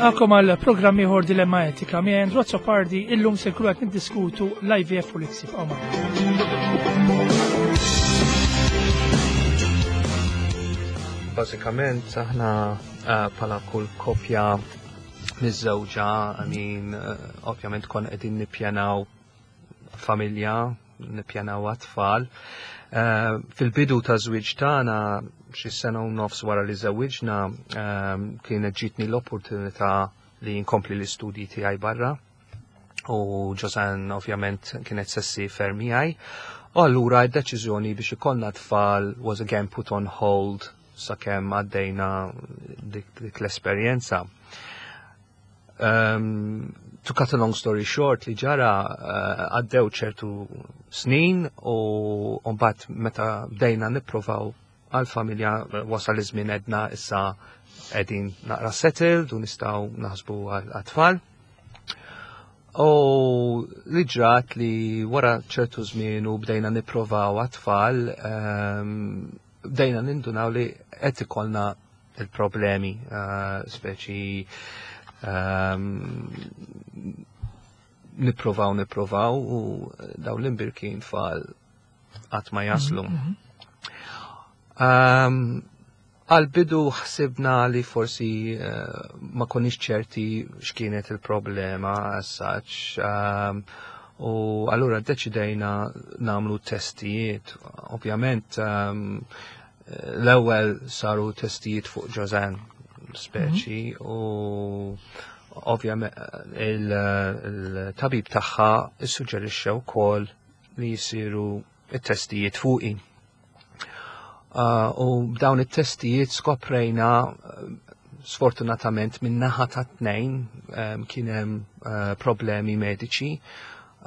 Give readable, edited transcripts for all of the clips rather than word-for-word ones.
Nilqakom għal programm ieħor Dilemma Etika miegħi Andrew Azzopardi illum se nkunu qed niddiskutu l-IVF u l-ICSI Bażikament aħna eh, bħala kull kopja miżżewġa, I mean, eh, ovvjament kon qegħdin nippjanaw familja, nippjanaw għat-tfal. Eh, fil-bidu ta' żwieġ tagħna xi sena u nofs wara li żewwiġna eh, kienet ġitni l-opportunità li nkompli l-istudji tiegħi barra u Ġosan ovvjament kienet sessi fermi għaj. U allura d-deċiżjoni biex ikollna tfal was again put on hold sakemm għaddejna dik, dik l-esperjenza. Um, to cut a long story short, li ġara eh, għaddew uh, ċertu snin u mbagħad meta bdejna nipprovaw għal-familja eh, wasal iż-żmien edna issa qegħdin naqra settled u nistgħu naħsbu għat-tfal. U li ġrat li wara ċertu żmien u bdejna nipprovaw għat-tfal, um, bdejna nindunaw li qed ikollna il-problemi, eh, speċi ehm, niprovaw niprovaw u daw l-imbirkin tfal qatt ma jaslu. Mhm, mhm. Ehm, għal-bidu ħsibna li forsi eh, ma konniex ċerti x'kienet il-problema as such. Ehm, u allura deċidejna namlu testijiet. Ovvjament L-ewwel saru testijiet fuq Ġożan speċi mhm. u ovvjament il-tabib tagħha issuġġerixxa wkoll li jsiru it-testijiet fuqi. Uh, u b'dawn it-testijiet skoprejna sfortunatament minn naħa ta' tnejn um, kien hemm uh, problemi mediċi,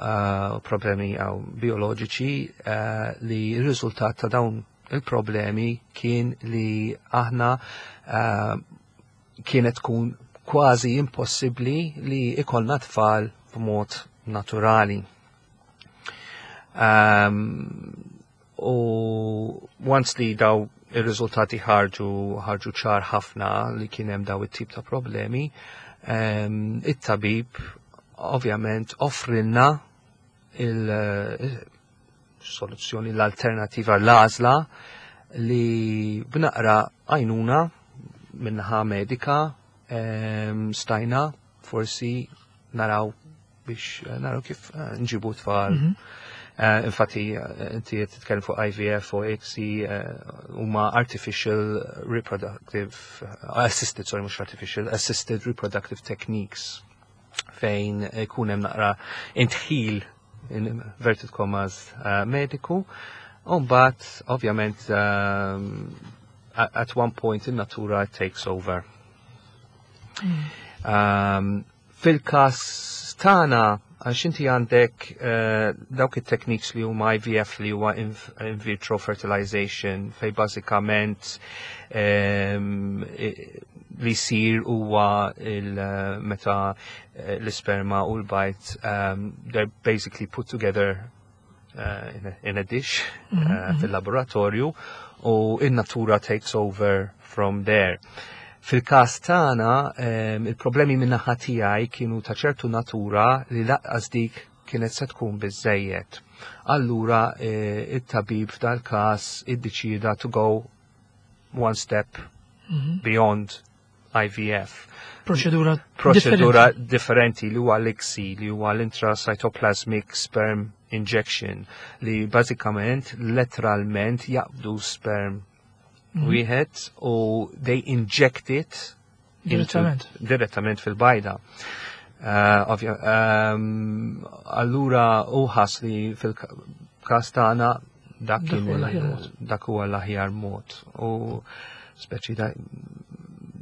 uh, problemi uh, bioloġiċi uh, li r-riżultat ta' dawn il-problemi kien li aħna uh, kienet tkun kważi impossibbli li ikollna tfal b'mod naturali. Um, u once li daw ir-riżultati ħarġu ħarġu ċar ħafna li kien hemm daw it-tip ta' problemi, um, it-tabib ovvjament offrilna il soluzzjoni l-alternativa l-għażla li b'naqra għajnuna minnaħa medika ehm, stajna forsi naraw biex eh, naraw kif eh, nġibu tfal. Mhm. Eh, infatti, inti qed titkellem fuq IVF u ICSI huma artificial reproductive assisted, sorry, mhux artificial, assisted reproductive techniques fejn ikun hemm naqra intħil in inverted commas eh, mediku. Umbat, ovvjament, um, at one point in natura it takes over. Um, Fil-kas tana, għax inti għandek uh, dawk it-techniques li huma IVF li huwa in, in vitro fertilization fej bażikament um, li jsir huwa il-meta eh, l-isperma u l-bajt um, they're basically put together uh, in, a, in a dish mm -hmm. uh, fil-laboratorju u in-natura takes over from there. Fil-każ tagħna um, il-problemi minn naħa tiegħi kienu ta' ċertu natura li laqqas dik kienet se tkun biżejjed. Allura eh, it-tabib f'dal-każ iddeċida to go one step mm -hmm. beyond IVF. Proċedura Proċedura differenti li huwa l-ICSI, li huwa l-intracytoplasmic sperm injection, li bażikament letteralment jaqbdu sperm mm. wieħed u they inject it direttament direttament fil-bajda. Uh, um, allura uħas li fil-kas tagħna dak dak huwa l-aħjar mod. U speċi da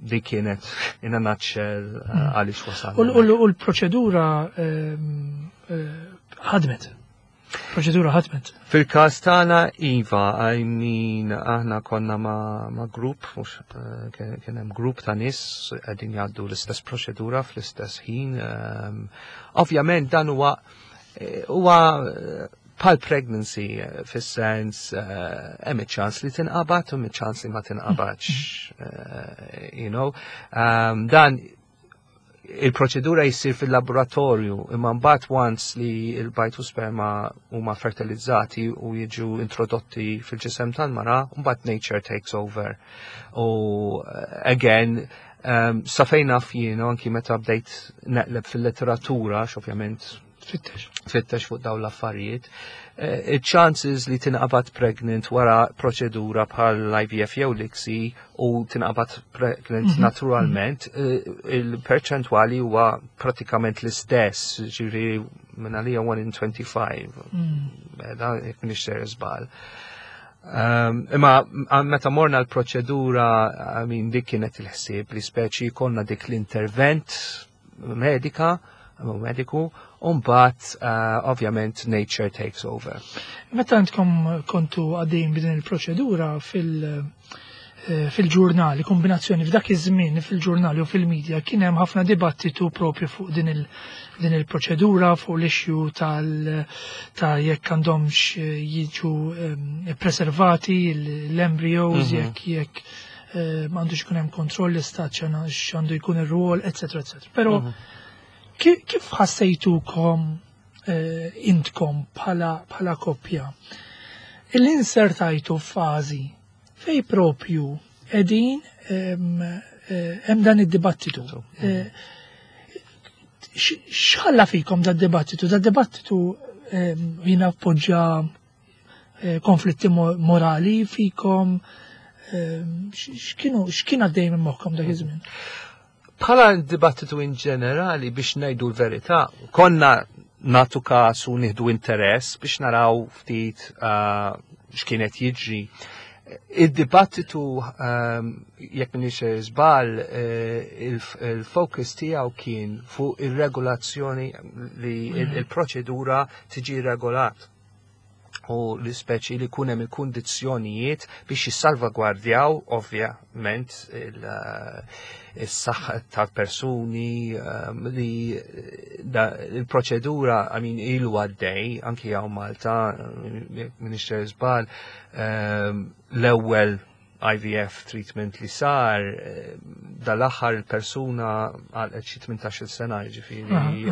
di kienet in a nutshell eh, hmm. għaliex wasal. U l-proċedura ehm, eh, ħadmet. Proċedura ħadmet. Fil-każ tagħna iva, I mean aħna konna ma, ma grupp, mhux eh, kien hemm grupp ta' nies qegħdin jgħaddu l-istess proċedura fl-istess ħin. Ehm, ovvjament dan huwa huwa bħal pregnancy eh, fis-sens eh, hemm iċ-ċans li tinqabad u hemm ċans li ma tinqabadx. Eh, you know, um, dan Il-proċedura jissir fil-laboratorju, imma mbagħad once li l-bajd u sperma huma fertilizzati u jiġu introdotti fil-ġisem tal-mara, mbagħad nature takes over. U again, sa fejn naf jien, anki meta bdejt neqleb fil-letteratura, ovvjament Fittex. Fittex fuq dawn l-affarijiet, il-chances li tinqabad pregnant wara proċedura bħal l-IVF jew l-ICSI u tinqabad pregnant naturalment, il-perċentwali huwa pratikament l-istess, ġifieri minn għalija 1 in 25. Da, jekk m'iniex ser żball. Imma meta morna l-proċedura, I mean, dik kienet il-ħsieb li speċi konna dik l-intervent medika, u mediku, u mbagħad ovvjament nature takes over. Meta intkom kontu għaddejjin b'din il-proċedura fil-ġurnali, kombinazzjoni f'dak iż-żmien fil-ġurnali u fil-medja kien hemm ħafna dibattitu propju fuq din il-proċedura, fuq l-issue tal ta' jekk għandhomx jiġu preservati l-embryos, jekk m'għandux ikun hemm kontroll l-istat, x'għandu jkun ir-rwol, eccetera, eccetera. Però kif ħassejtukom intkom bħala koppja? Il-insertajtu f'fażi fej propju qegħdin hemm dan id-dibattitu. X'ħalla fikom da dibattitu? Da dibattitu jiena appoġġa konflitti morali fikom, x'kien għaddej minn moħħkom dak iż-żmien? Bħala dibattitu in ġenerali, biex ngħidu l-verità, konna natu każ u nieħdu interess biex naraw ftit x'kienet jiġri. Id-dibattitu, jekk m'iniex żball, il-focus tiegħu kien fuq ir-regolazzjoni li il-proċedura tiġi regolat u l-ispeċi li kunem il-kundizzjonijiet biex jissalvagwardjaw ovvjament is-saħħa tal-persuni, li il-proċedura, I mean, ilu għaddej anki hawn Malta, m'iniex żball, l-ewwel IVF treatment li sar, dal-aħħar il-persuna għal xi 18 sena, ġifieri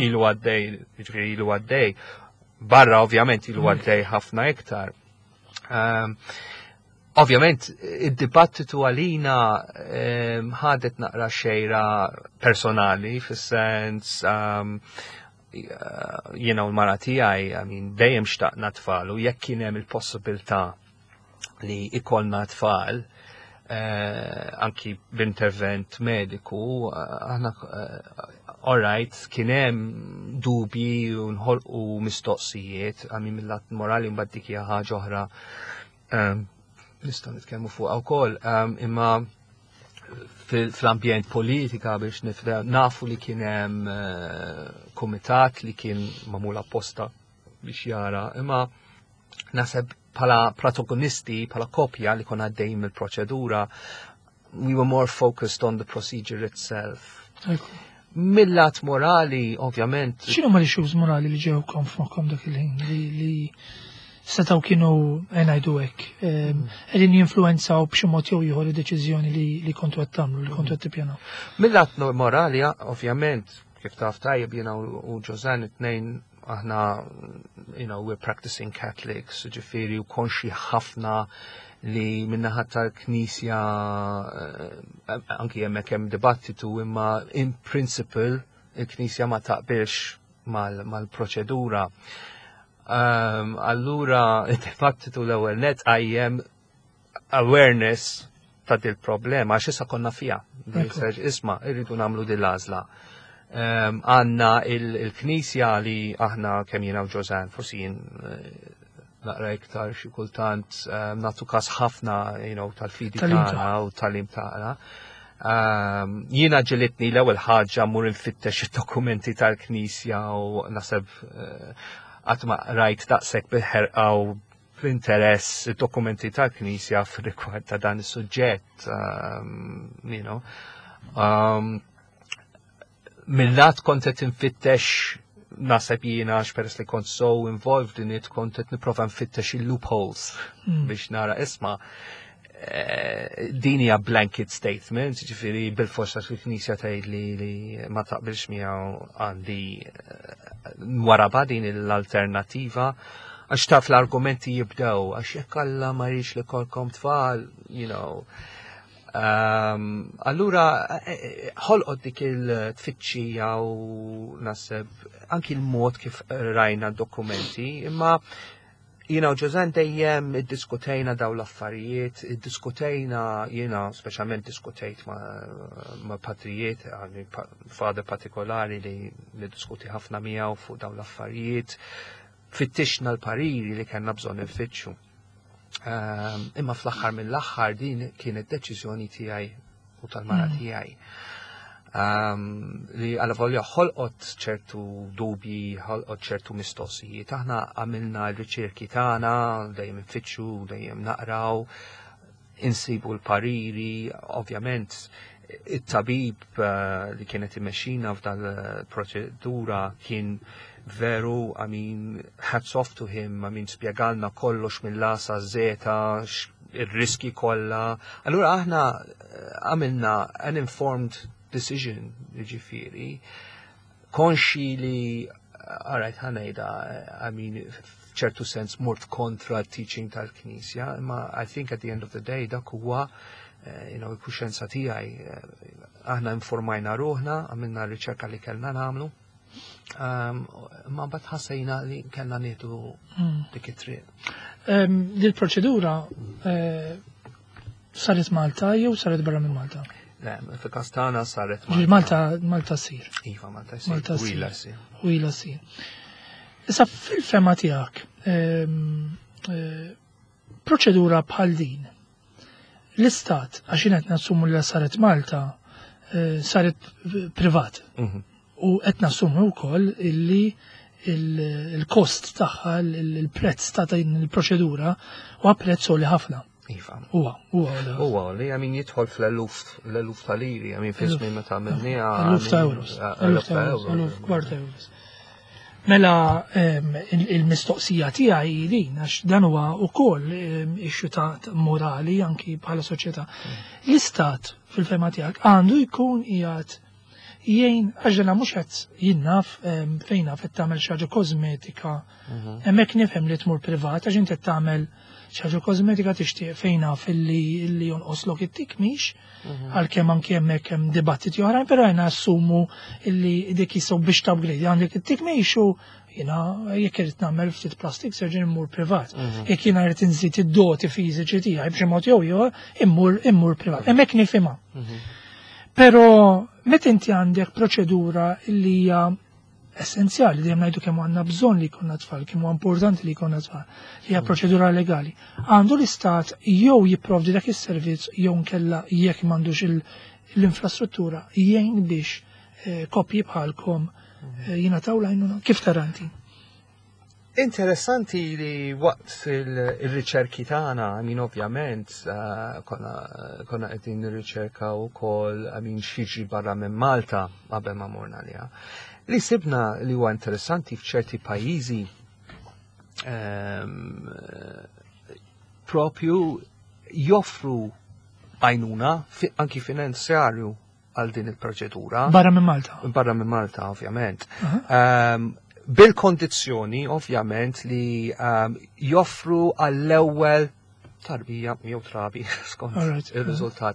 ilu għaddej, ġifieri ilu għaddej. Barra ovvjament ilu għaddej ħafna iktar. Ovvjament, id-dibattitu għalina ħadet naqra xejra personali, fis-sens jiena u l-mara tiegħi, I mean, dejjem xtaqna tfal u jekk kien hemm il-possibilità li ikollna tfal, anki b'intervent mediku, aħna all right, kien hemm dubji u nħolqu mistoqsijiet, I mean, mill-lat morali mbagħad dik hija ħaġa oħra nistgħu nitkellmu fuqha wkoll, imma fl-ambjent politika biex nifda nafu li kien hemm kumitat li kien magħmul apposta biex jara, imma naħseb bħala protagonisti, bħala koppja li konna għaddejjin mill-proċedura, we were more focused on the procedure itself. Mill-lat morali, ovvjament. X'inhu ma l-issues morali li ġew f'moħħkom dak il-ħin li setgħu kienu ngħidu hekk, qegħdin jinfluwenzaw b'xi mod jew ieħor id-deċiżjoni li kontu qed tagħmlu, li kontu qed tippjanaw? Mill-lat morali, ovvjament, kif taf tajjeb, jiena u Josanne it-tnejn aħna, we're practicing Catholics, ġifieri u konxi ħafna li min-naħa tal-Knisja, anki hemmhekk hemm dibattitu, imma in principle il-Knisja ma taqbilx mal-proċedura. Allura, il-dibattitu l-ewwel net għajjem awareness ta' dil-problema, għax issa konna fija. Isma', irridu nagħmlu dil-għażla. Għandna il-Knisja li aħna kemm jiena u Josanne, forsi jien naqra iktar xi kultant, nagħtu kas ħafna tal-fidi tagħna u tal-tagħlim tagħna. Jiena ġielitni l-ewwel ħaġa mur infittex id-dokumenti tal-Knisja u naħseb qatt ma rajt daqshekk bil-ħerqa u fl-interess id-dokumenti tal-Knisja f'rigward ta' dan is-suġġett. Mill-lat kont qed infittex, naħseb jiena għax peress li kont so involved in it, kont qed nipprova nfittex il-loopholes biex nara, isma', Din hija blanket statement, ġifieri bil-forsa fil-Knisja tgħid li ma taqbilx miegħu, għandi waraba din l-alternattiva, għax taf l-argumenti jibdew, għax jekk Alla ma jridx li jkollkom tfal. Allura, ħolqot dik il-tfittxija u naħseb anki l-mod kif rajna dokumenti, imma jiena u Ġożan dejjem iddiskutejna daw l-affarijiet, iddiskutejna, jiena speċjalment diskutejt ma' patrijiet, għandi father partikolari li niddiskuti ħafna miegħu fuq daw l-affarijiet, fittixna l-pariri li kellna bżonn nfittxu. Imma fl-aħħar mill-aħħar din kienet deċiżjoni tiegħi u tal-mara tiegħi. Li għala volja ħolqot ċertu dubji, ħolqot ċertu mistoqsijiet. Aħna għamilna l-riċerki tagħna, dejjem infittxu, dejjem naqraw, insibu l-pariri, ovvjament it-tabib li kienet imexxina f'dal-proċedura kien veru, I mean, hats off to him, I mean, spjegalna kollox mill-A sa Z, ir-riski kollha. Allura aħna għamilna an informed decision, ġifieri, konxi li, alright, ħa ngħidha, I mean, f'ċertu sens mort kontra teaching tal-Knisja, imma I think at the end of the day dak huwa il-kuxjenza tiegħi. Aħna informajna ruħna, għamilna r-riċerka li kellna nagħmlu. Ma mbagħad ħassejna li kellna nieħdu dik it-triq. Dil-proċedura saret Malta jew saret barra minn Malta? Le, fil-każ tagħna saret Malta. Malta ssir. Iva, Malta ssir. Malta ssir. U ilha ssir. U ilha ssir. Issa fil-fehma tiegħek, proċedura bħal din, l-istat, għax jien qed nassumu li saret Malta, saret privat. U qed nassumu wkoll illi il-kost tagħha, il-prezz ta' din il-proċedura huwa prezz għoli ħafna. Iva. Huwa għoli. Huwa li għamin jidħol fl-eluf, l-eluf ta' liri, għamin fi żmien meta għamilniha. Eluf ta' euros. Eluf ta' Eluf euros. Eluf kwart euros. Mela il-mistoqsija tiegħi hi din, għax dan huwa wkoll issue ta' morali anki bħala soċjetà. L-istat fil-fehma tiegħek għandu jkun qiegħed jgħin, għax dana mhux qed jien naf fejn naf qed tagħmel xi ħaġa kosmetika. Hemmhekk nifhem li tmur privat għax inti qed tagħmel xi ħaġa kosmetika, tixtieq fejn naf illi jonqoslok it-tikmix, għalkemm anki hemmhekk hemm dibattiti oħrajn, però jiena assumu illi dik jistgħu biex upgrade għandek it-tikmix u jiena jekk irid nagħmel ftit plastic surgery immur privat. Jekk jiena rrid inżid id-doti fiżiċi tiegħi b'xi mod jew ieħor immur privat. Hemmhekk nifhimha. Però meta inti għandek proċedura li hija essenzjali, dejjem ngħidu kemm għandna bżonn li jkollna tfal, kemm huwa importanti li jkollna tfal, li hija proċedura legali. Għandu l-istat jew jipprovdi dak is-servizz jew nkella jekk m'għandux l-infrastruttura jgħin biex koppji bħalkom jingħataw l-għajnuna. Kif tara inti? Interessanti li waqt il-riċerki tagħna, I mean, ovvjament, konna qegħdin nirriċerka wkoll, I mean, x'jiġri barra minn Malta qabel ma morna liha. Li sibna li huwa interessanti f'ċerti pajjiżi propju joffru għajnuna anki finanzjarju għal din il-proċedura. Barra minn Malta? Barra minn Malta, ovvjament. Bil-kondizzjoni, ovvjament, li joffru għall-ewwel tarbija jew trabi, skont il-riżultat.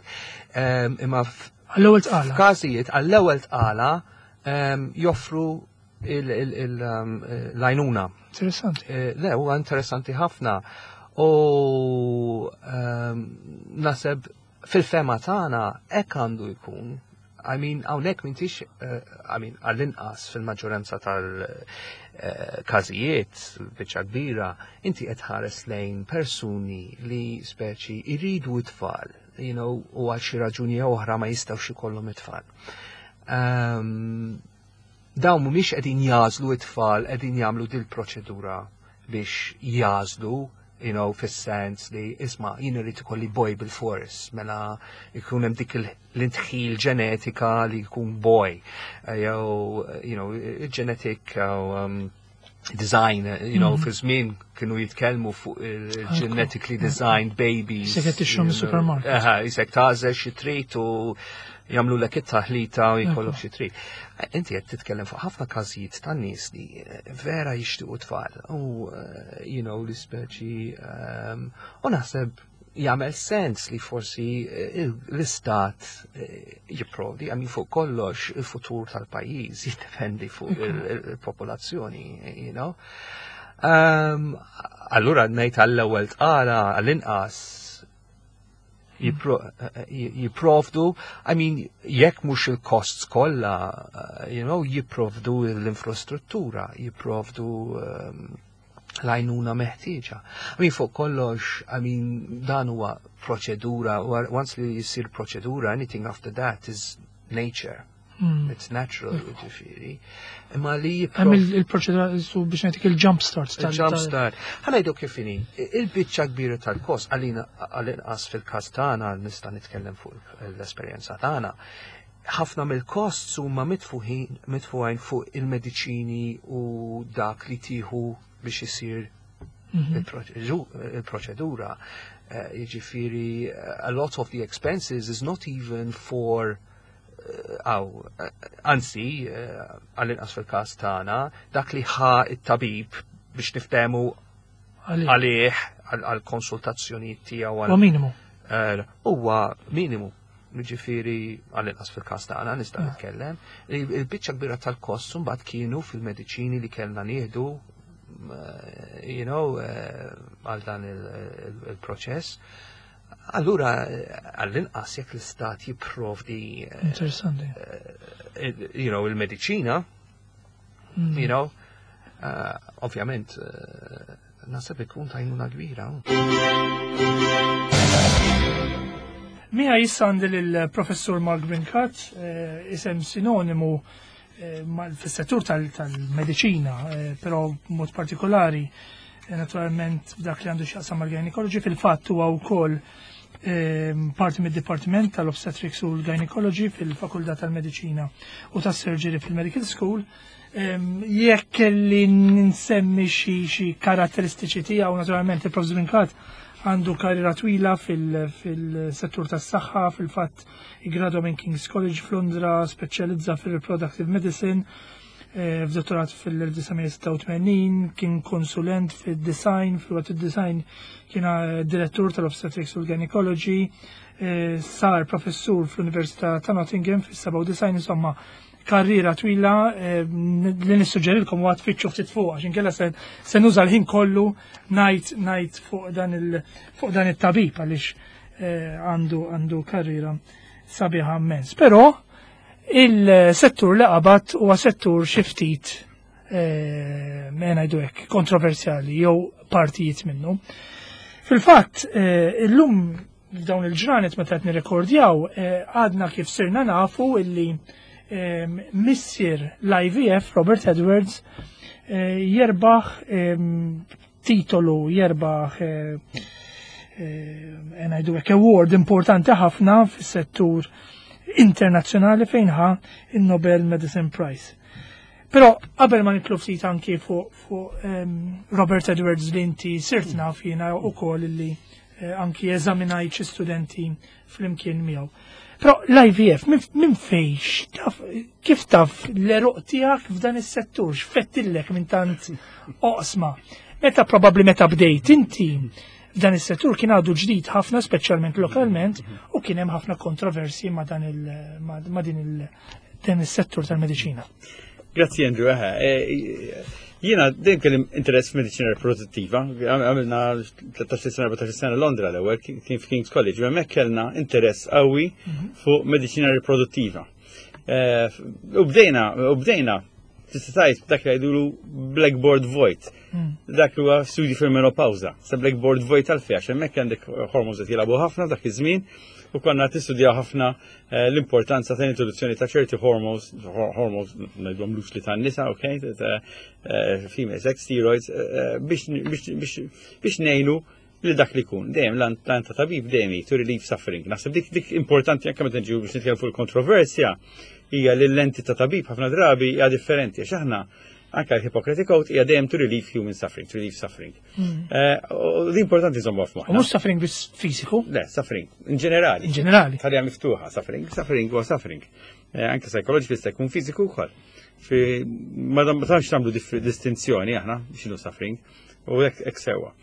Imma Għall-ewwel tqala. f'każijiet għall-ewwel tqala joffru l-għajnuna. Interessanti. Le, huwa interessanti ħafna. U naħseb fil-fehma tagħna hekk għandu jkun. I mean, hawnhekk m'intix, I mean, għall-inqas fil-maġġoranza tal-każijiet, biċċa kbira, inti qed ħares lejn persuni li speċi iridu it-tfal, u għal xi raġuni oħra ma jistgħux ikollhom it-tfal. Dawn mhumiex qegħdin jagħżlu it-tfal, qegħdin jagħmlu dil-proċedura biex jagħżlu, fis-sens li isma' jien irid ikolli boy bil-fors, mela jkun hemm dik l-intħil ġenetika li jkun boy, jew, genetic, Design, fi żmien kienu jitkellmu fuq il-genetically designed babies. Isek qed tixtru mis-supermarket. Aha, isek tagħżel xi trid u jagħmlu lek it-taħlita u jkollok xi trid. Inti qed titkellem fuq ħafna każijiet ta' nies li vera jixtiequ tfal u li speċi u naħseb jagħmel sens li forsi l-istat jipprovdi, għax fuq kollox il-futur tal-pajjiż jiddependi fuq il-popolazzjoni. Allura ngħid għall-ewwel tqala għall-inqas jipprovdu, I mean, jekk mhux il-costs kollha, jipprovdu l-infrastruttura, jipprovdu l-għajnuna meħtieġa. I mean, fuq kollox, I mean, dan huwa proċedura, once li jisir proċedura, anything after that is nature. It's natural, ġifieri. Imma li Hemm il-proċedura su biex ngħidlek il-jump start. Il-jump start. Ħa ngħidu kif inhi, il-biċċa kbira tal-kost, għalina għal-inqas fil-każ tagħna, nista' nitkellem fuq l-esperjenza tagħna, ħafna mill-costs huma mitfugħin fuq il-mediċini u dak li tieħu biex isir il-proċedura. Jiġifieri, a lot of the expenses is not even for għaw, anzi, għall-inqas fil-każ tagħna, dak li ħa it-tabib biex niftehmu għalih għal-konsultazzjoni tiegħu. Huwa minimu. Huwa minimu. Ġifieri, għall-inqas fil-każ tagħna nista' nitkellem. Il-biċċa kbira tal-kost mbagħad kienu fil-mediċini li kellna nieħdu għal dan il-proċess. Allura, għall-inqas jekk l-istat jipprovdi Interessanti. Il-mediċina, ovvjament, naħseb ikun t'għajnuna kbira. Miegħi issa għandi l-professur Mark Brincat, isem sinonimu fis-settur tal-mediċina, però mod partikolari, naturalment dak li għandu x'jaqsam mal-gynecology, fil-fatt huwa wkoll parti mid-Dipartiment tal-Obstetrics u l-Gynecology fil-Fakultà tal-Mediċina u tas-Surgery fil-Medical School. Jekk kelli nsemmi xi karatteristiċi tiegħu, naturalment il-Professur Brincat għandu karriera twila fil-settur tas-saħħa, fil-fatt iggradwa minn King's College f'Londra, speċjalizza fil-Reproductive Medicine, f'dottorat fil-1986, kien konsulent fil-design, fil-waqt il-design kien direttur tal-Obstetrics u l-Gynecology, sar professur fl-Università ta' Nottingham fis-97, insomma, karriera twila li nissuġġerilkom u tfittxu ftit fuq, għax inkella se nuża l-ħin kollu ngħid fuq dan it-tabib għaliex għandu karriera sabiħa immens. Però il-settur li qabad huwa settur xi ftit ma ngħidu hekk kontroversjali jew partijiet minnu. Fil-fatt, illum f'dawn il-ġranet meta qed nirrekordjaw, għadna kif sirna nafu illi missier l-IVF, Robert Edwards, jerbaħ titolu, jerbaħ ngħidu hekk award importanti ħafna fis-settur internazzjonali fejn ħa il-Nobel Medicine Prize. Però qabel ma nitlu ftit anki fuq Robert Edwards li inti sirt naf jiena wkoll illi anki eżaminajt xi studenti flimkien miegħu. Però l-IVF minn fejx, taf, kif taf l-għeruq tiegħek f'dan is-settur, x'fettillek minn tant oqsma? Meta probabbli meta bdejt inti f'dan is-settur kien għadu ġdid ħafna, speċjalment lokalment, u kien hemm ħafna kontroversi ma' dan il, ma', ma' din il, dan is-settur tal-mediċina. Grazzi, Andrew. Eħe, jiena dejjem kelli interess f'mediċina riproduttiva. Għamilna 13 sena, 14 sena Londra l-ewwel kien f'King's College, u hemmhekk kellna interess qawwi fuq mediċina riproduttiva. U bdejna tista' tgħid dak li jgħidulu blackboard vojt. Dak huwa studji fil-menopawża. Sa blackboard vojt għalfejn, għax hemmhekk għandek hormones qed jilagħbu ħafna dak iż-żmien u konna tistudjaw ħafna l-importanza ta' introduzzjoni ta' ċerti hormones, hormones ngħidhom li tan-nisa, ok, ta' female sex steroids, biex ngħinu li dak li kun. Dejjem l ta' tabib dejjem to relieve suffering. Naħseb dik importanti anke meta nġu biex nitkellmu fuq il-kontroversja hija li l-lenti ta' tabib ħafna drabi hija differenti għax aħna Anka l-Hippocratic Oath hija dejjem to relieve human suffering, to relieve suffering. U l-importanti żommu f'moħħna. U mhux suffering biss fiżiku. Le, suffering, in ġenerali. In ġenerali. Ħalija miftuħa, suffering, suffering huwa suffering. Anke psychological jista' jkun fiżiku wkoll. Ma tantx nagħmlu distinzjoni aħna x'inhu suffering u hekk sewwa.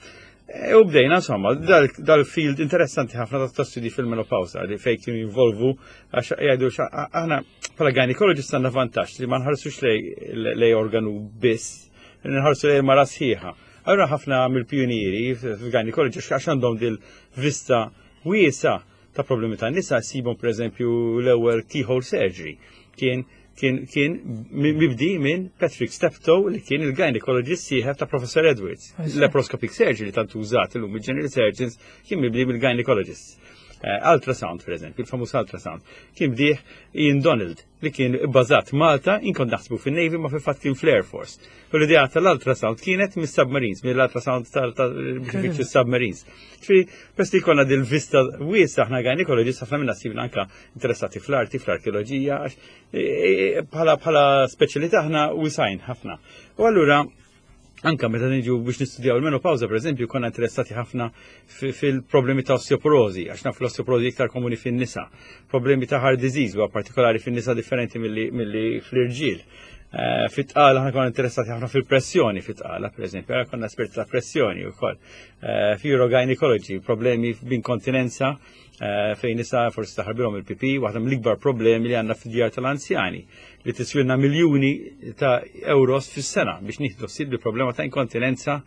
U bdejna, insomma, dal-field interessanti ħafna ta' studi fil-menopawsa li fejn kienu jinvolvu għax jgħidu aħna bħala gynecologist għandna vantaġġ li ma nħarsux lej organu biss, nħarsu lej mara sħiħa. Allura ħafna mill-pjunieri fil-gynecology għax għandhom dil-vista wiesa ta' problemi ta' nisa sibhom pereżempju l-ewwel keyhole surgery kien kien kien mibdi minn Patrick Steptoe li kien il-gynecologist sieħeb ta' Professor Edwards. Laparoscopic surgery tant użat illum il-general surgeons kien mibdi mill-gynecologist. Ultrasound, per eżempju, il-famuż ultrasound, kien bdieħ Ian Donald li kien bbażat Malta, inkont naħsbu fin-Navy ma fil-fatt kien fl-Air Force. U l-idea tal-ultrasound kienet mis-submarines, mill-ultrasound tal-submarines. Ġifieri, peress li jkollna dil-vista wiesa aħna gynecologist ħafna minna sibna anka interessati fl-arti, fl-arkeoloġija, għax bħala speċjalità aħna wisajn ħafna. U allura anka meta niġu biex nistudjaw il-menopawza, per eżempju, konna interessati ħafna fil-problemi ta' osteoporosi, għax nafu l-osteoporosi iktar komuni fin-nisa, problemi ta' heart disease, huwa partikolari fin-nisa differenti milli fl-irġiel. Fit-tqala aħna konna interessati ħafna fil-pressjoni fit-tqala, per eżempju, aħna konna esperti ta' pressjoni wkoll. Fi urogynecology, problemi b'inkontinenza, fejn nisa forsi taħarbilhom il-pipi, waħda mill-ikbar problemi li għandna fid-djar tal-anzjani li tiswilna miljuni ta' euros fis-sena biex nieħdu ħsieb li problema ta' inkontinenza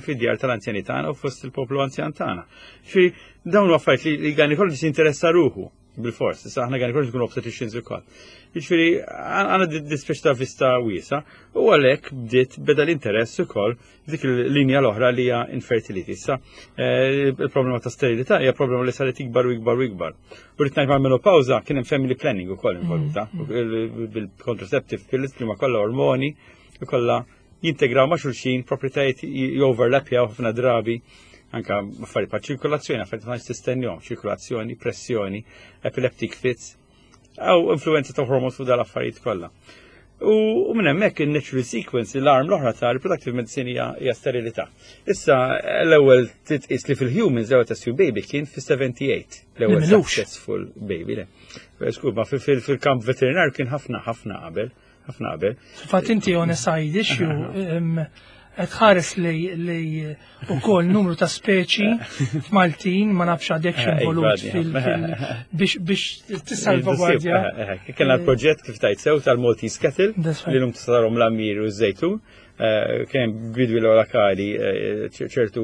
fid-djar tal-anzjani tagħna u fost il-poplu anzjan tagħna. Ġifieri dawn huma affarijiet li l-gynecologist jinteressa ruħu bil-fors, issa aħna gynecologist nkunu obstetricians ukoll. Jiġifieri għandna dispeċ ta' vista wiesa u għalhekk bdiet beda l-interess ukoll dik il-linja l-oħra li hija infertility. Issa il-problema ta' sterilità hija problema li saret ikbar u ikbar u ikbar. U rrid ngħid mal-menopawża kien hemm family planning ukoll involuta bil-contraceptive pills li huma kollha ormoni u kollha jintegraw ma' xulxin proprjetajiet joverlapjaw ħafna drabi anka affarijiet bħal ċirkolazzjoni, affarijiet ma tistennihom, ċirkolazzjoni, pressjoni, epileptic fits, aw influenza ta' hormones fuq dal-affarijiet kollha. U minn hemmhekk il-natural sequence, l-arm l-oħra ta' reproductive medicine hija sterilità. Issa l-ewwel titqis li fil-humans l-ewwel test tube baby kien fis-78, l-ewwel successful baby. Le. Skur, ma fil-kamp veterinar kien ħafna ħafna qabel, ħafna qabel. Fatt inti on a side issue, qed ħares li ukoll numru ta' speċi f'Maltin ma nafx għadek involut biex tissalvagwardja. Kellna l-proġett kif tajt sew tal-Maltese Cattle li lum tisarhom l-ammir u ż-żejtun. Kien bidwi lokali ċertu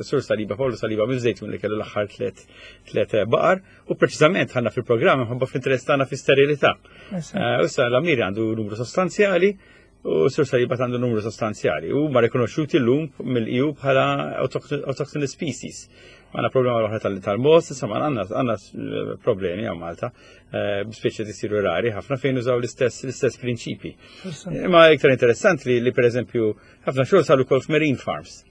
sur Saliba, Paolo Saliba miż-żejtun li kellu l-aħħar tliet baqar u preċiżament ħanna fil-programm ħabba fl-interess tagħna fi-sterilità. Issa l-ammir għandu numru sostanzjali u sur Saliba għandu numru sostanzjali u ma rikonoxxuti llum mill-EU bħala autochthonous species. Għandna problema l-oħra tal-mos, insomma għandna problemi għaw Malta, b'speċi li jsiru rari ħafna fejn użaw l-istess prinċipi. Imma iktar interessant li per eżempju ħafna xogħol saru wkoll f'marine farms.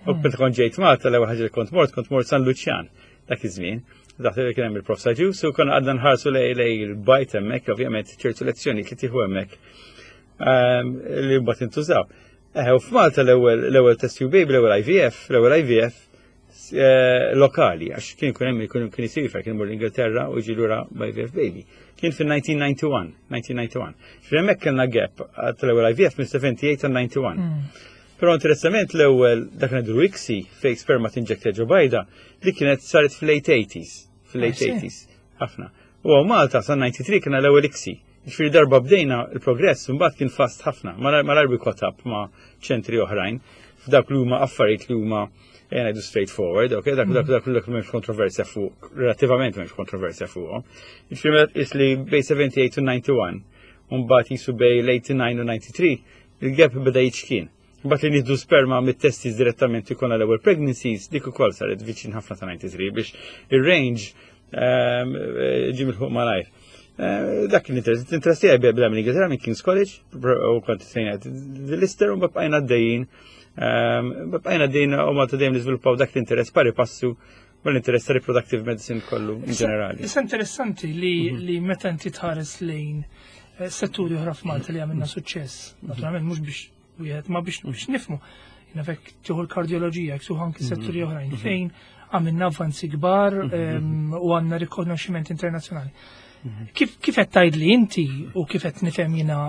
U meta kont ġejt Malta l-ewwel ħaġa li kont mort, kont mort San Luċjan dak iż-żmien. Dak li kien hemm il-Prof Saġus u konna għadna nħarsu lej il-bajt hemmhekk, ovvjament ċertu lezzjonijiet li tieħu hemmhekk li mbagħad intużaw. U f'Malta l-ewwel test tube baby, l-ewwel IVF, l-ewwel IVF lokali, għax kien kun hemm kien kien isir kien imur l-Ingilterra u jiġi lura IVF baby. Kien fil-1991, 1991. Ġifieri hemmhekk kellna gap tal-ewwel IVF minn 78 għal 91. Però interessament l-ewwel dak ngħidu ICSI fejn sperma tinjecta ġo bajda, li kienet saret fil-late 80s, fil-late 80s, ħafna. U hawn Malta sa 93 kien l-ewwel ICSI. Ġifieri darba bdejna il-progress mbagħad kien fast ħafna, malajr we caught up ma' ċentri oħrajn f'dak li huma affarijiet li huma ngħidu straightforward, ok, dak dak dak dak m'hemmx kontroversja fuq, relattivament m'hemmx kontroversja fuqhom. Ġifieri meta tqis li bejn 78 u 91, u mbagħad jisu bejn l-89 u 93, il-gap beda jiċkien. Mbagħad li nieħdu sperma mit-testis direttament ikun l-ewwel pregnancies, dik ukoll saret viċin ħafna ta' 93 biex ir-range ġie milħuq malajr. Dak kien interess, interess tiegħi beda minn Ingilterra minn King's College u kont trejnajt l-Lister u bqajna għaddejjin. Bqajna għaddejjin u Malta dejjem niżviluppaw dak l-interess pari passu mal-interess ta' reproductive medicine kollu in ġenerali. Issa interessanti li meta inti tħares lejn Setturi oħra f'Malta li għamilna suċċess, naturalment mhux biex wieħed ma biex nifmu. Jiena fek tieħu l-kardjoloġija, jekk tieħu anki setturi oħrajn fejn għamilna avvanzi kbar u għandna rikonoxximent internazzjonali. Kif qed tgħidli inti u kif qed nifhem jiena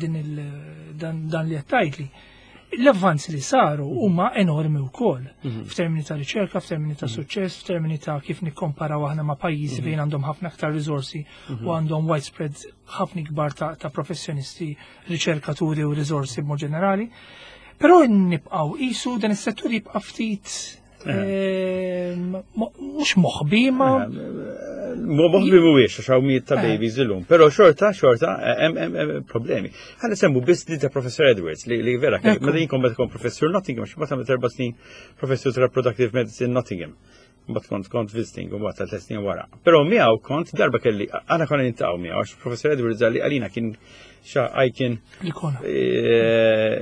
din dan li qed tgħidli, l-avvanzi li saru huma enormi wkoll f'termini ta' riċerka, f'termini ta' suċċess, f'termini ta' kif nikkomparaw aħna ma' pajjiżi fejn għandhom ħafna aktar riżorsi u għandhom widespread ħafna kbar ta' professjonisti, riċerkaturi u riżorsi b'mod ġenerali. Però nibqgħu qisu dan is-settur jibqa' ftit mhux moħbi ma. Moħbi mhuwiex għax hawn mijiet ta' babies illum, però xorta xorta hemm problemi. Ħa nsemmu biss li ta' Professor Edwards li vera meta jien kont meta kont professur Nottingham, xi mbagħad għamilt 4 snin professur ta' reproductive medicine Nottingham. Mbagħad kont visiting u mbagħad ta' 3 snin wara. Però miegħu kont darba kelli aħna konna niltaqgħu miegħu għax Professor Edwards għalli għalina kien xa icon L-ikona.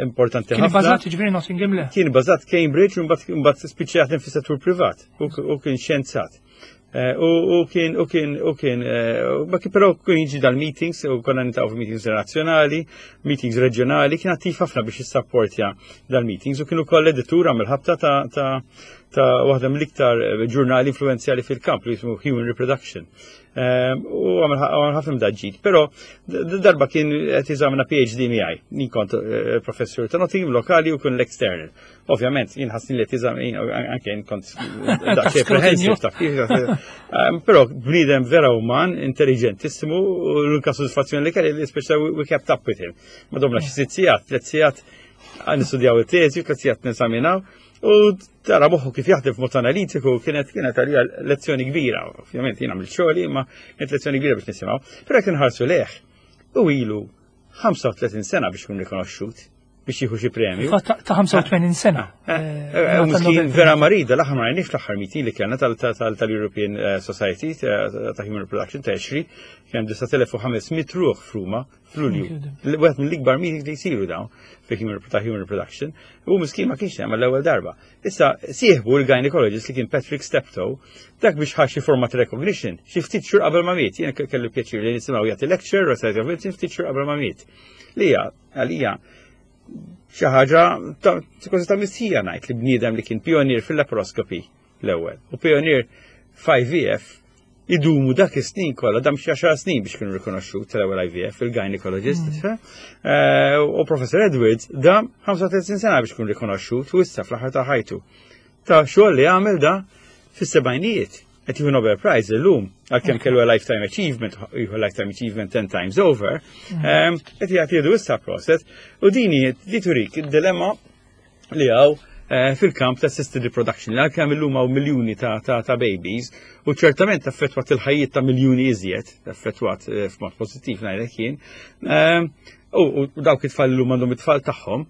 Importanti Kien ħafna. bbażat ġifieri Nottingham le. Kien bażat Cambridge u mbagħad spiċċa jaħdem fis-settur privat u kien xjenzat. U kien, ma kien però kien jiġi dal-meetings u konna niltaqgħu meetings nazzjonali, meetings reġjonali, kien attiv ħafna biex jissapportja dal-meetings u kien ukoll editur għamel ħabta ta' waħda mill-iktar ġurnali influenzjali fil-kamp li jismu Human Reproduction. U għamel ħafna mdaġġid, però darba kien qed jeżamina PhD miegħi. Jien kont professur ta' Nottingham lokali u kien l-external. Ovvjament, jien ħassni li qed anke jien kont daqsxejn apprehensive ta' kif. Però bniedem vera uman, intelligentissimu, u l-unika soddisfazzjoni li kelli li speċa we kept up with him. Ma domna xi 6 sigħat, 3 sigħat nistudjaw it-teżi, 3 sigħat neżaminaw, u tara moħħu kif jaħdem f'mod analitiku kienet għalija lezzjoni kbira. Ovvjament jien għamilt xogħli, imma kienet lezzjoni kbira biex nisimgħu. Però jekk inħarsu lejh, u ilu 35 sena biex ikun rikonoxxut, biex jieħu xi premju. Fatt ta' 85 sena. U miskin vera marida, l-aħħar ma rajniex l-aħħar meeting li kellna tal-European Society ta' Human Reproduction ta' ESHRE, kien 9500 ruħ f'Ruma f'Lulju. Wieħed mill-ikbar meetings li jsiru dawn fi ta' Human Reproduction. U miskin ma kienx hemm l-ewwel darba. Issa sieħbu l-gynecologist li kien Patrick Steptoe, dak biex ħa xi forma ta' recognition, xi ftit xhur qabel ma miet. Jien kelli pjaċir li nisimgħu jagħti lecture Society of Medicine ftit xhur qabel ma miet. Li hija għalija xi ħaġa ta' kważi ta' mistħija ngħid li bniedem li kien pionier fil-laparoscopy l-ewwel u pionier f'IVF idumu dak is-snin kollha, dam xi 10 snin biex kienu rikonoxxut tal-ewwel IVF il-gynecologist. U Professor Edwards dam 35 sena biex kien rikonoxxut u issa fl-aħħar ta' ħajtu. Ta' xogħol li għamel da fis-sebgħinijiet. Qed jieħu Nobel Prize illum, għalkemm kellu a lifetime achievement, jieħu lifetime achievement 10 times over, qed jagħti jieħdu issa proset u dini di turik id-dilemma li hawn fil-kamp ta' assisted reproduction, li għalkemm illum hawn miljuni ta' babies u ċertament affettwat il-ħajjiet ta' miljuni iżjed, affettwat f'mod pożittiv ngħidlek jien. U dawk it-tfal illum għandhom it-tfal tagħhom,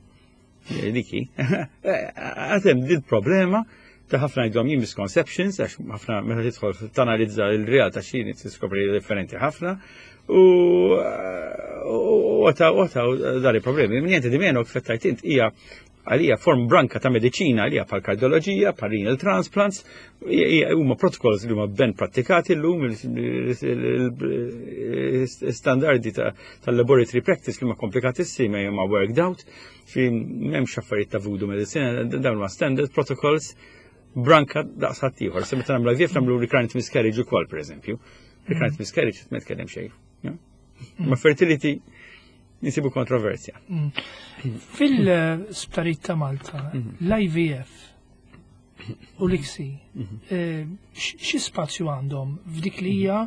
diki, għad hemm din problema ta' ħafna jgħidhom jien misconceptions, għax ħafna meta tidħol tanalizza il-realtà xi tiskopri differenti ħafna, u għata dari problemi. Niente di meno kif tajt int hija għalija form branka ta' mediċina għalija pal kardioloġija, pal renal transplants, huma protocols li huma ben prattikati llum il-standardi tal-laboratory practice li huma komplikatissimi huma worked out, fi m'hemmx affarijiet ta' voodoo medicine, dawn huma standard protocols branka daqs ħaddieħor. Se meta nagħmlu IVF nagħmlu recurrent miscarriage ukoll pereżempju. Recurrent miscarriage ma tkellem xejn. Ma fertility nisibu kontroversja. Fil-sptarijiet ta' Malta, l-IVF u l-ICSI, xi spazju għandhom f'dik li hija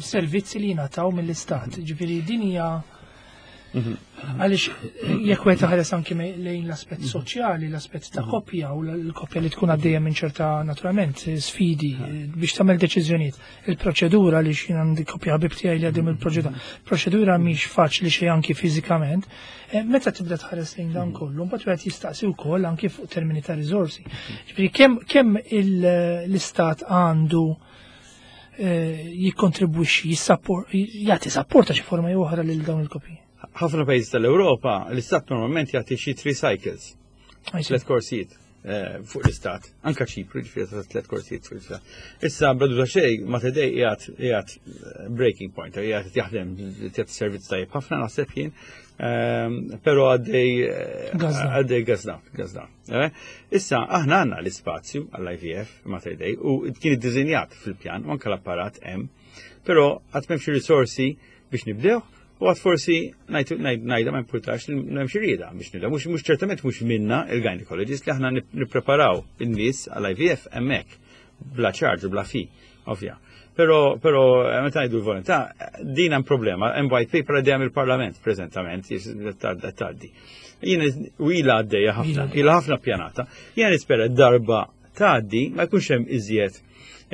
servizzi li jingħataw mill-istat? Ġifieri din hija għaliex jekk wieħed ħares anki lejn l-aspett soċjali, l-aspett ta' koppja u l-koppja li tkun għaddejja minn ċerta naturalment sfidi biex tagħmel deċiżjonijiet. Il-proċedura li xi għandi koppja ħabib tiegħi li għaddejjem il-proċedura. Proċedura mhix faċli xejn anki fiżikament. Meta tibda tħares lejn dan kollu, mbagħad wieħed jistaqsi wkoll anki fuq termini ta' riżorsi. Ġifieri kemm l-istat għandu jikkontribwixxi, jagħti support ta' xi forma jew oħra lil dawn il-koppji. Ħafna pajjiżi tal-Ewropa l-istat normalment jagħti xi three cycles, tliet korsijiet. fuq l-istat, anka Ċipru, ġifieri ta' tlet korsijiet fuq l-istat. Issa bla ta' xejn Mater Dei qiegħed breaking point, qiegħed jaħdem qiegħed servizz tajjeb ħafna naħseb jien, però għaddej gazda, gazda. Issa aħna għandna l-ispazju għall-IVF Mater Dei u kien iddiżinjat fil-pjan u anke l-apparat hemm, però għad m'hemmx risorsi biex nibdew u għad forsi ngħidha ma importax li m'hemmx rieda biex nibdew. Mhux ċertament mhux minna il-gynecologist li aħna nippreparaw in-nies għall-IVF hemmhekk bla charge u bla fee, ovvja. Però meta ngħidu l-volontà, din hemm problema, hemm white paper għaddejja mill-Parlament preżentament, tgħaddi. Jiena u ilha għaddejja ħafna, ilha ħafna pjanata. Jiena nispera darba tgħaddi ma jkunx hemm iżjed,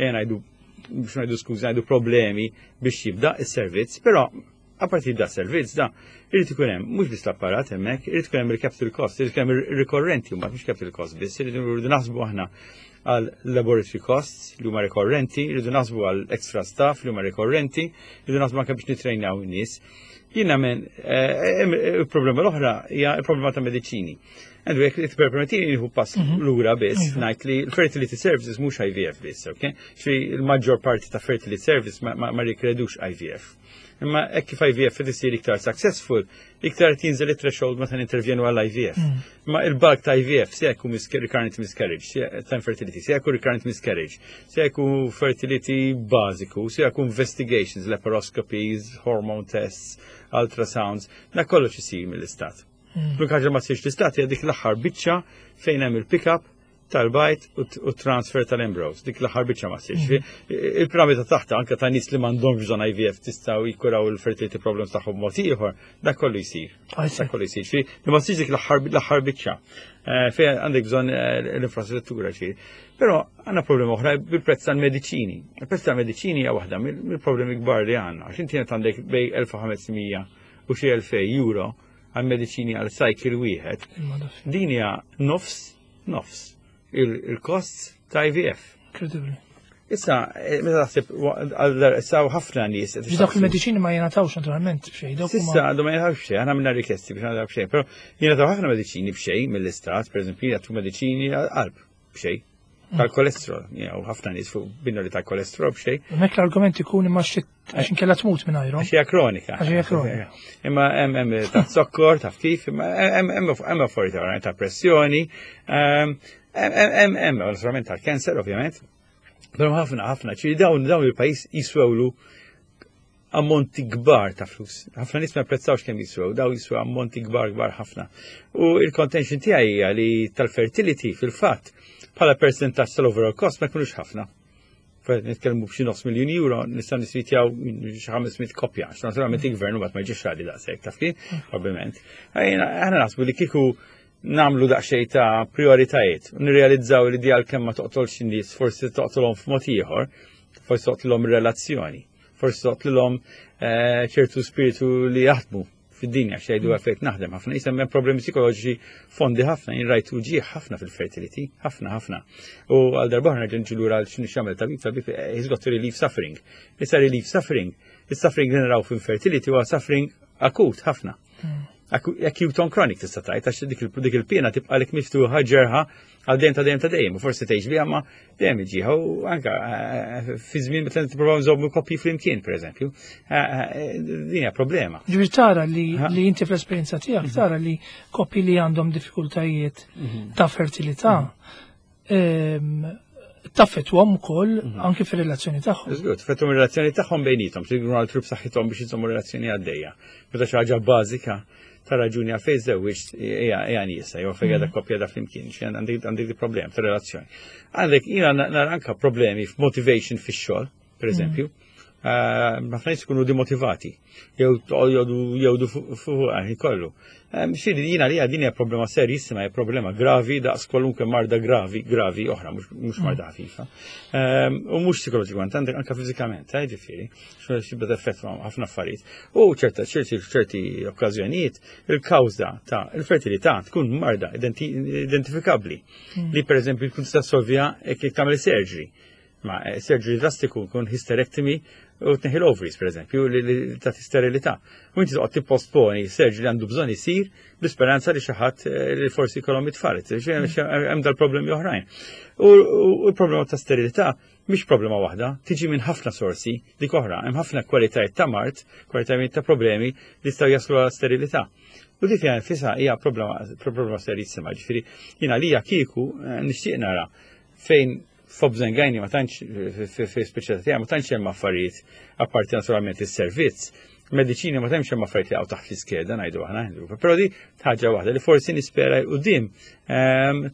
ngħidu biex ngħidu skużi, ngħidu problemi biex jibda is-servizz, però apparti jibda s-servizz da, irid ikun hemm mhux biss l-apparat hemmhekk, irid ikun hemm il-capital cost, irid ikun hemm ir-rikorrenti mbagħad mhux capital cost biss, irridu naħsbu aħna għal laboratory costs li huma rikorrenti, irridu naħsbu għal extra staff li huma rikorrenti, irridu naħsbu anke biex nitrejnaw in-nies. Jiena men, il-problema l-oħra hija il-problema ta' mediċini. Għandu jekk li permettini nieħu pass lura biss, ngħid li l-fertility services mhux IVF biss, ok? Xi l-maġġor parti ta' fertility service ma rikredux IVF. Imma hekk kif IVF qed isir iktar successful, iktar qed jinżel it-threshold meta nintervjenu għall IVF. Imma il-bulk ta' IVF se jkun recurrent miscarriage, ta' infertility, se jkun recurrent miscarriage, se jkun fertility bażiku, se jkun investigations, laparoscopies, hormone tests, ultrasounds, da kollox isir mill-istat. L-unika ħaġa ma ssirx l-istat hija dik l-aħħar biċċa fejn hemm il-pick-up tal-bajd u transfer tal-embryos. Dik l-aħħar biċċa ma ssirx. Il-piramida taħta anke ta' nies li m'għandhomx bżonn IVF tistgħu jikkuraw il-fertility problems tagħhom mod ieħor, dak kollu jsir. Dak kollu jsir. Ġifieri, li ma ssirx dik l-aħħar biċċa. Fejn għandek bżonn l-infrastruttura ġifieri. Però għandna problema oħra bil-prezz tal-mediċini. Il-prezz tal-mediċini hija waħda mill-problemi kbar li għandna. Għax inti għandek bejn 1500 u xi 2000 euro għal mediċini għal cycle wieħed. Din hija nofs il-costs ta' IVF. Incredibly. Issa, meta taħseb issa ħafna nies. Dawk il-mediċini ma jingħatawx naturalment b'xejn. Dawk huma Issa għandhom ma jingħatawx b'xejn, aħna għamilna rikesti biex nagħtaw b'xejn, però jingħataw ħafna mediċini b'xejn mill-istat, pereżempju jagħtu mediċini għall-qalb b'xejn. Tal-kolesterol, jew ħafna nies fuq binnoli tal-kolesterol b'xejn. Hemmhekk l-argument ikun imma xi għax inkella tmut minn ajru. Għax hija kronika. Għax hija kronika. Imma hemm ta' zokkor, ta' kif, imma hemm affarijiet oħra ta' pressjoni, hemm naturalment tal-cancer ovvjament. Però ħafna ħafna, ċiri dawn il-pajjiż jiswewlu ammonti kbar ta' flus. Ħafna nies ma japprezzawx kemm jiswew, daw jiswew ammonti kbar kbar ħafna. U il-contention tiegħi hija li tal-fertility fil-fatt bħala percentaġġ tal-overall cost ma jkunux ħafna. Nitkellmu b'xi nofs miljun euro, nistgħu nisritjaw xi 500 koppja, għax naturalment il-gvern mbagħad ma jġiex għali daqshekk, taf kif? Ovvjament. Aħna naħsbu li kieku nagħmlu daqsxejn ta' prioritajiet u nirrealizzaw li di għalkemm ma toqtolx in-nies, forsi toqtolhom f'mod ieħor, forsi toqtlhom ir-relazzjoni, forsi toqtlilhom ċertu spiritu li jaħdmu fid-dinja, xejdu għalfejn naħdem ħafna, jisem hemm problemi psikoloġiċi fondi ħafna, jien rajt uġigħ ħafna fil-fertility, ħafna ħafna. U għal darba ħna ġenġu lura għal x'inhu x'jagħmel tabib, tabib he's got to relieve suffering. Issa relieve suffering, is-suffering li naraw fil-fertility huwa suffering akut ħafna. Acute on chronic tista' tgħid, għax dik il-pena tibqa' lek miftuħa ġerħa għal dejjem ta' dejjem ta' dejjem, u forsi tgħix biha ma dejjem iġiha, u anka fi żmien meta nippruvaw nżommu koppji flimkien, pereżempju, din hija problema. Ġifieri tara li inti fl-esperjenza tiegħek tara li koppji li għandhom diffikultajiet ta' fertilità, taffettwahom ukoll anke fir-relazzjoni tagħhom. Żgur, taffettwahom ir-relazzjoni tagħhom bejniethom, tridu għal trup saħħithom biex iżommu relazzjoni għaddejja. Meta xi ħaġa bażika ta' raġuni għalfejn żewġ hija nieqsa jew fejn qiegħda koppja da flimkien, xi għandek di problem ta' relazzjoni. Għandek jiena nara anke problemi f'motivation fix-xogħol, pereżempju. Ħafna nies ikunu demotivati, jew jgħodu fuq għaħi kollu. Xiri, jiena li din hija problema serissima, hija problema gravi daqs kwalunkwe marda gravi, gravi oħra, mhux marda ħafifa. U mhux psikoloġikament, għandek anke fiżikament, ġifieri, xi beda effett ma' ħafna affarijiet. U ċerti okkażjonijiet, il-kawża ta' il-fertilità tkun marda identifikabbli, li pereżempju tkun tista' solvija jekk tagħmel surgery. Ma surgery drastiku kun hysterectomy u tneħi l-ovaries, per eżempju, li ta' sterilità. U inti toqgħod tipposponi surgery li għandu bżonn isir bl-isperanza li xi ħadd li forsi jkollhom it-tfal. Hemm dal-problemi oħrajn. U l-problema ta' sterilità mhix problema waħda, tiġi minn ħafna sorsi dik oħra, hemm ħafna kwalitajiet ta' mard, kwalitajiet ta' problemi li jistgħu jaslu għal sterilità. U dik hija nfisha hija problema problema serissima, ġifieri jiena lija kieku nixtieq nara fejn f'Obżengajni ma tantx fi speċjalità tiegħi ma tantx hemm affarijiet apparti naturalment is-servizz. Mediċini ma tantx hemm affarijiet li hawn taħt l-iskeda ngħidu aħna. Però di ħaġa waħda li forsi nispera 'l quddiem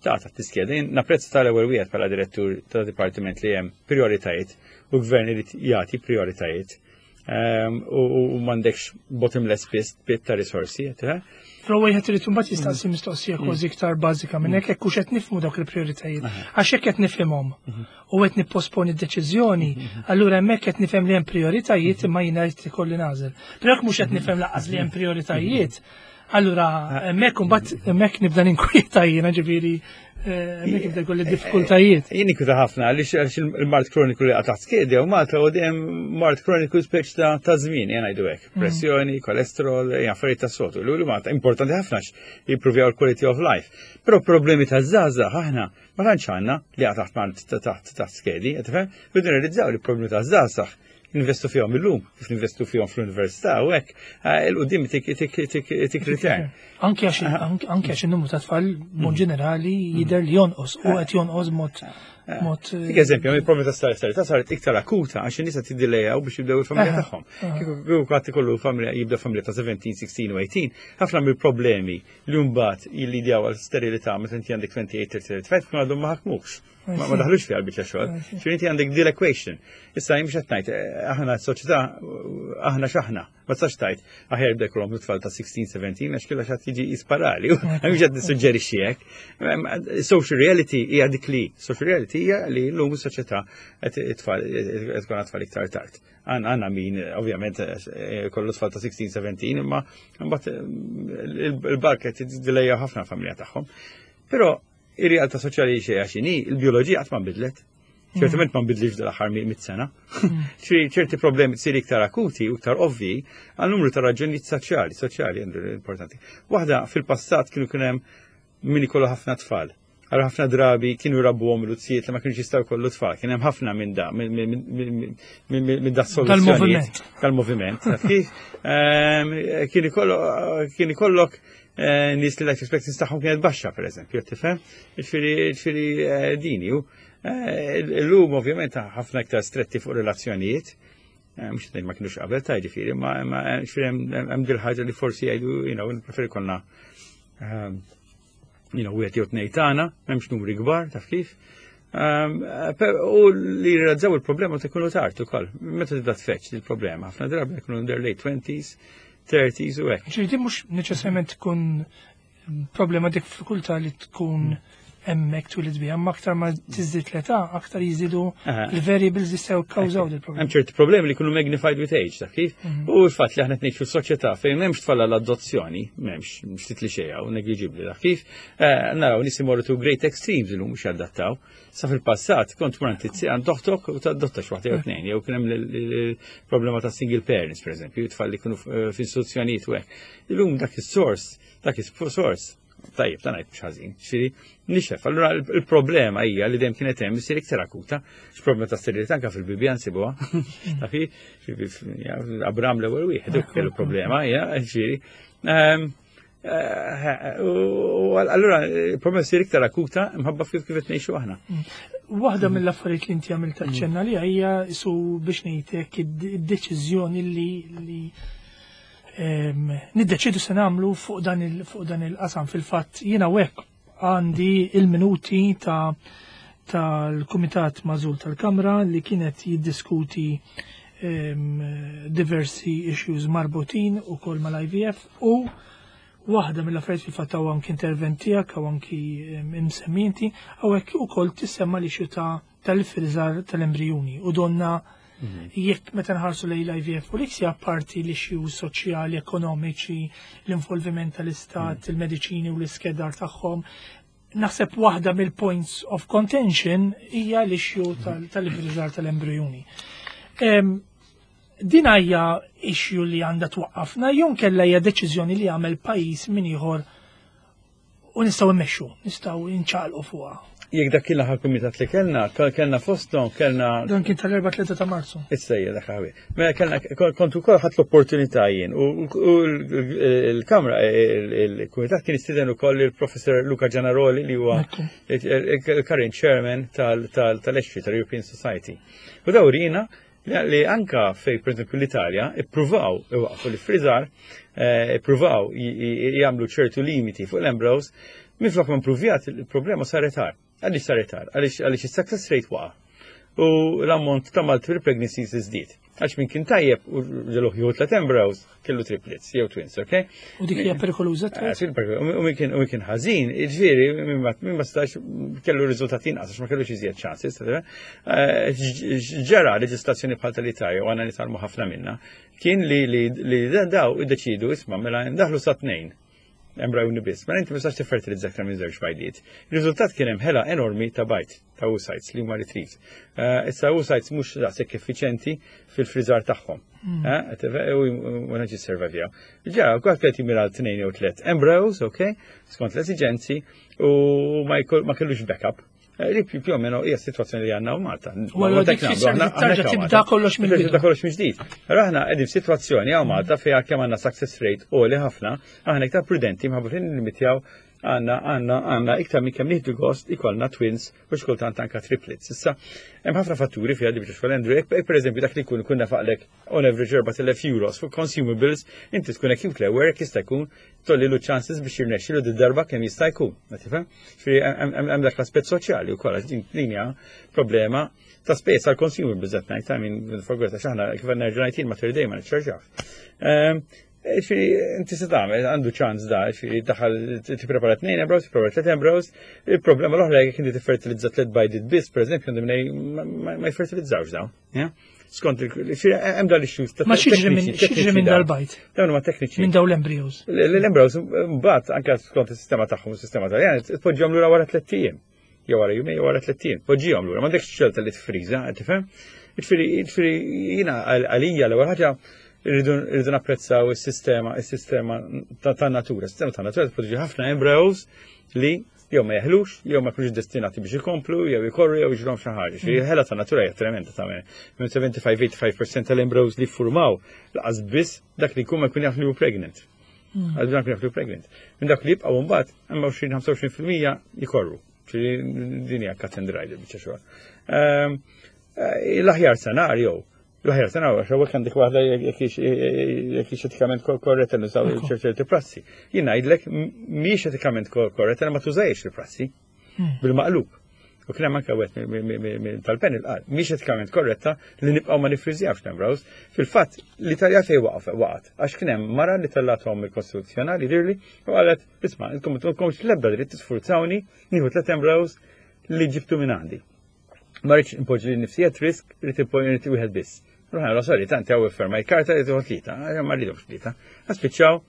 ta' taħt l-iskeda. Jien napprezza tal-ewwel wieħed bħala direttur ta' dipartiment li hemm prioritajiet u gvern irid jagħti prioritajiet. U m'għandekx bottomless pit ta' risorsi, eh? Però wieħed irid imbagħad jistaqsi mistoqsija kważi iktar bażika minn hekk, jekk hux qed nifhmu dawk il-prijoritajiet. Għax jekk qed nifhimhom u qed nipposponi d-deċiżjoni, allura hemmhekk qed nifhem li hemm prijoritajiet imma jiena qed ikolli nagħżel. Però jekk mhux qed nifhem lanqas li hemm prijoritajiet, allura hemmhekk imbagħad hemmhekk nibda ninkwieta jiena, ġifieri hemmhekk jibda jkolli diffikultajiet. Jien nikwieta ħafna għaliex il-mard kroniku li qatgħat skedi u Malta u dejjem mard kroniku speċ ta' żmien, jien ngħidu hekk. Pressjoni, kolesterol, affarijiet ta' sotu. L Malta importanti ħafna jimpruvjaw il-quality of life. Però problemi ta' żgħażagħ aħna ma tantx għandna li taħt mard taħt skedi, qed tifhem? Rridu nirrealizzaw li problemi ta' żgħażagħ investu fihom illum, kif ninvestu fihom fl-università u hekk, il-qudiem tik return. Anke għax in-numru ta' tfal mod ġenerali jidher li jonqos u qed jonqos mod. Dik eżempju, il-problema ta' sterilità saret iktar akuta għax in-nies qed jiddilejaw biex jibdew il-familja tagħhom. Kieku kulħadd ikollu familja, jibda familja ta' 17, 16 u 18, ħafna mill-problemi li mbagħad jillidjaw għal sterilità meta inti għandek 28, 30, 35 tkun għadhom ma ħakmux. Ma daħlux fiha l-biċċa xogħol. Ġifieri inti għandek deal equation. Issa jien mhux qed ngħid aħna s-soċjetà aħna x'aħna. Ma tistax tgħid aħjar jibda jkollhom tfal ta' 16, 17 għax killa x'għad jiġi jisparali. Mhux qed nissuġġerixxi hekk. Social reality hija dik li, social reality hija li llum is-soċjetà qed it-tfal qed tkun tfal iktar tard. Għandna min ovvjament kollu tfal ta' 16, 17 imma mbagħad il-barka tidilejja ħafna familja tagħhom. Però ir-realtà soċjali xejn għax inhi, il-bioloġija qatt ma nbidlet. Ċertament ma nbidlix dal-aħħar 100 sena. Ċerti problemi tsir iktar akuti u iktar ovvi għal numru ta' raġunijiet soċjali, soċjali importanti. Waħda, fil-passat kienu kien hemm min ikollu ħafna tfal. Għal ħafna drabi kienu rabbuhom l-uzzijiet li ma kienux jistgħu jkollu tfal. Kien hemm ħafna minn da, minn da soluzzjonijiet. Tal-moviment. Kif kien ikollok nies li life expectancy tagħhom kienet baxxa, per eżempju, tifhem? Ġifieri dini. Illum ovvjament ħafna iktar stretti fuq relazzjonijiet. Mhux ngħid ma kienux qabel ta' ġifieri, ma ġifieri hemm dil ħaġa li forsi jgħidu, preferi konna wieħed jew tnejn tagħna, m'hemmx numri kbar, taf kif. U li jirrealizzaw il-problema ta' jkunu tard ukoll. Meta tibda tfeċ il-problema, ħafna drabi jkunu in their late 20s, 30s u hekk. Ġifieri mhux neċessarjament tkun problema diffikultà li tkun hemmhekk twilid biha, imma aktar ma tiżdied l-età, aktar jiżidu il-variables li jistgħu kkawżaw il problema. Hemm ċerti problemi li jkunu magnified with age, taf kif? U l-fatt li aħna qed ngħixu f'soċjetà fejn m'hemmx tfal l-adozzjoni, m'hemmx, ftit li xejn u negliġibbli, taf kif? Naraw nies imorru to great extremes illum mhux jadattaw. Sa fil-passat kont tmur għand oħtok u tadotta xi waħda jew tnejn, jew kien hemm il-problema ta' single parents, per eżempju, tfal li jkunu f'istituzzjonijiet u hekk. Illum dak is-sors, dak is-sors, tajjeb, ta' ngħid mhux ħażin, ġifieri nixef. Allura il-problema hija li dejjem kienet hemm issir iktar akuta, x'problema ta' sterilità anke fil-Bibbja nsibuha. Tafi, Abram l-ewwel wieħed kellu problema, hija, ġifieri. U allura il-problema ssir iktar akuta mħabba kif qed ngħixu aħna. Waħda mill-affarijiet li inti għamilt aċċenna li hija isu biex ngħidlek id-deċiżjoni li niddeċidu se nagħmlu fuq dan il-qasam. Fil-fatt jiena hekk għandi il-minuti ta' tal-Kumitat Magħżul tal-Kamra li kienet jiddiskuti diversi issues marbutin u kol mal-IVF u waħda mill-affarijiet, fil-fatt hawn anki intervent tiegħek hawn anki imsemminti hawnhekk ukoll, tissemma l-issue ta' tal-friżar tal-embrijuni u donna jekk meta nħarsu lejn l-IVF u l-ICSI, apparti l-issues soċjali, ekonomiċi, l-involviment tal-istat, il-mediċini u l-iskedar tagħhom, Naħseb waħda mill-points of contention hija l-issue tal-iffriżar tal-embrijuni. Din hija issue li għandha twaqqafna jew kella hija deċiżjoni li jagħmel pajjiż minn ieħor u nistgħu mmexxu, nistgħu nċaqalqu fuqha. Jekk dak kien l-aħħar kumitat li kellna, kellna fosthom, kellna. Dan kien tal-4 ta' Marzu. Issa dak ħawi. Mela kellna kont ukoll ħadd l-opportunità jien u l-Kamra il-Kumitat kien istiden ukoll il-Professor Luca Gianaroli li huwa il-current chairman tal-ESHRE tal-European Society. U daw rina li anka fej per esempio l-Italja ippruvaw iwaqfu l-frizar, eh, ippruvaw jagħmlu ċertu limiti fuq l-embryos, minflok ma impruvjat il-problema saret għar. Għaliex saret għar? Għaliex is-success rate waqa' u l-ammont ta' multiple pregnancies iżdied. Għax min kien tajjeb u ġeluħ jieħu tlet embryos, kellu triplets, jew twins, ok? U dik hija perikoluża eh, U min kien ħażin, jiġifieri min ma stax kellu riżultati inqas għax ma kellux iżjed chances. Eh, ġara leġislazzjoni bħal tal-Italja u għandna nitgħallmu ħafna minna, kien li li daw iddeċidu isma' mela ndaħlu sa tnejn embrajuni biss. Mela inti ma tistax tiffertilizza aktar minn żewġ bajdiet. Ir-riżultat kien hemm ħela enormi ta' bajd ta' oocytes li huma retrieved. Eh, issa oocytes mhux daqshekk effiċenti fil-friżar tagħhom. Eh, u ma naġi servavjaw. Ġa, kwaħt qed jimira tnejn jew tliet embryos, ok, skont l-esiġenzi u ma kellux backup. Eh, li più o meno hija situazzjoni li għandna u Malta. U allura dik tfisser li tarġa' tibda kollox mill Tibda kollox mill-ġdid. Allura aħna qegħdin f'sitwazzjoni hawn Malta fejn kemm għandna success rate għoli ħafna, aħna iktar prudenti minħabba li nillimitjaw għandna għandna għandna iktar minn kemm nieħdu gost ikollna twins u xkultant anka triplets. Issa, hemm ħafna fatturi fiha li biex Andrew, jekk pereżempju dak li jkun ikun nafaqlek on average 4000 euros fuq consumables, inti tkun acute aware jekk jista' jkun tollilu chances biex jirnexxilu di darba kemm jista' jkun. Ma tifhem? Ġifieri hemm dak l-aspett soċjali wkoll għax din din hija problema ta' spejjeż għal consumables qed ngħid, I mean, forgot għax aħna kif nerġa' ngħid jien Mater Dei ma niċċarġawx. Ehm, ġifieri inti se tagħmel għandu ċans da, ġifieri daħal tipprepara tnejn embryos, tipprepara tliet embryos, il-problema l-oħra jekk inti tiffertilizza tliet bajdit biss, pereżempju, għandhom ma jfertilizzawx dawn. Skont il hemm dal issues ta' Ma x'jiġri minn x'jiġri minn dal-bajt? Dawn huma tekniċi. Minn dawn l-embryos. L-embryos mbagħad anke skont is-sistema tagħhom, is-sistema Taljan, tpoġġihom lura wara tliet ijiem. Jew wara jumejn jew wara tliet ijiem. Poġġihom lura, m'għandekx xelta li tfriża, tifhem? Jiġifieri jiġifieri jiena għalija l-ewwel ħaġa rridu napprezzaw is-sistema, is-sistema ta' natura. Is-sistema ta' natura tpoġġi ħafna embryos li jew ma jeħlux, jew ma jkunux destinati biex ikomplu, jew ikorru, jew jiġrhom xi ħaġa. Xi ħela ta' natura hija tremenda ta' minn 75-85% tal-embryos li ffurmaw laqas biss dak li jkun ma jkun jaf li hu pregnant. Għal dak li jaf li hu pregnant. Minn dak li jibqgħu mbagħad hemm 20-25% jikorru. Ġifieri din hija cut and dry biċċa xogħol. Ehm, eh, l-aħjar senarju L-aħjar sena għax hawnhekk għandek waħda jekk hix etikament korretta nużaw ċerti prassi. Jien ngħidlek mhijiex etikament korretta ma tużajx il-prassi hmm. bil-maqlub. U kien hemm anke wieħed tal-panel qal mhix etikament korretta li nibqgħu ma nifriżjawx l-embryos. Fil-fatt l-Italja fejn waqaf waqgħet għax kien hemm mara li tellathom il-Kostituzzjonali dirli u qalet isma' intom ma l-ebda dritt tisfurzawni nieħu tliet embryos li ġibtu minn għandi. Ma rridx impoġġi li nifsi at risk, rrid impoġġi wieħed biss. Ruħna, sorry, tanti għaw ferma il-karta li tieħu tlieta, ma rridux tlieta. Spiċċaw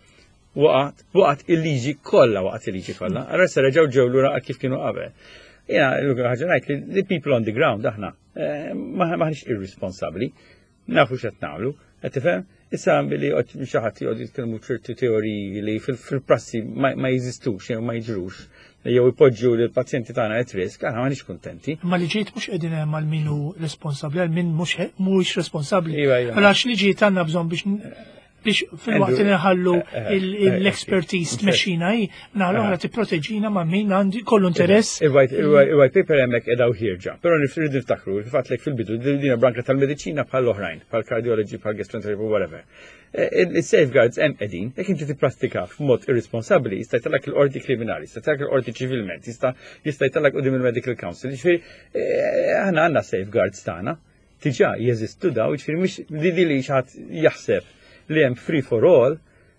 waqgħet, waqgħet il-liġi kollha, waqgħet il-liġi kollha. Allora se reġgħu ġew lura kif kienu qabel. Jiena l-unika ħaġa ngħid li people on the ground aħna eh, maħniex irresponsabbli. Nafu x'qed nagħmlu, qed tifhem? Issa billi xi ħadd joqgħod jitkellmu ċertu teoriji li fil-prassi ma jeżistux jew ma jiġrux jew ipoġġu lil pazjenti tagħna at risk, aħna m'aħniex kuntenti. Ma li ġejt mhux qegħdin hemm għal min hu responsabbli, għal min mhuwiex responsabbli. Iva, iva. Għax li ġiet għandna bżonn biex biex fil-waqt li nħallu eh, eh, eh, l-expertise tmexxina hi, naħa l-oħra tipproteġina ma' min għandi kollu interess. Il-white paper hemmhekk qiegħda ħierġa, però nirridu niftakru il-fatt li fil-bidu din branka tal-mediċina bħal oħrajn, bħal cardiology, bħal gastroenterology, whatever. Il-safeguards hemm qegħdin, jekk inti tipprattika f'mod irresponsabbli, jista' jtellak il-qorti kriminali, jista' jtellak il-qorti ċivilment, jista' jista' jtellak quddiem il-Medical Council. Jiġifieri aħna għandna safeguards tagħna Diġà jeżistu daw, jiġifieri mhux li li xi ħadd jaħseb li hemm free for all,